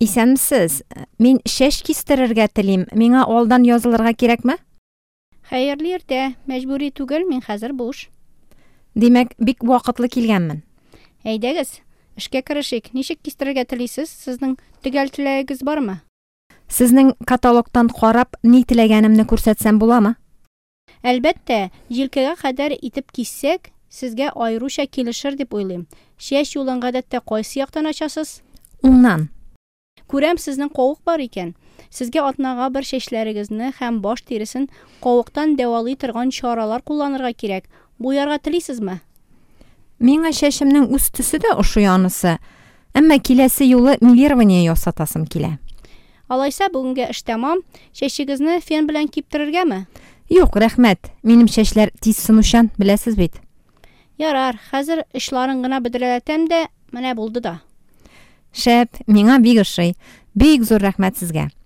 Исәнмесез. Мин чәч кистерергә телим. Миңа алдан язылырга кирәкме? Хәерле иртә. Мәҗбүри түгел, мин хәзер буш. Димәк, бик вакытлы килгәнмен. Әйдәгез, эшкә керешик. Ничек кистерергә телисез? Сезнең төгәл теләгегез бармы? Сезнең каталогтан карап, ни теләгәнемне күрсәтсәм буламы? Әлбәттә, җилкәгә кадәр итеп киссәк, сезгә аеруча килешер дип уйлыйм. Чәч юлын гадәттә кайсы яктан ачасыз? Уңнан. Күрәм, сезнең кавык бар икән. Сезгә атнага бер чәчләрегезне һәм баш тиресен кавыктан дәвалый торган чаралар кулланырга кирәк. Буярга телисезме? Миңа чәчемнең үз төсе дә ошый анысы. Әмма киләсе юлы мелирование ясатасым килә. Алайса, бүгенгә эш тәмам. Чәчегезне фен белән киптерергәме? Юк, рәхмәт. Минем чәчләр тиз сынучан, беләсез бит. Ярар, хәзер очларын гына бөдрәләтәм дә, менә булды да. Шәп, миңа бик ошый. Бик зур рәхмәт сезгә.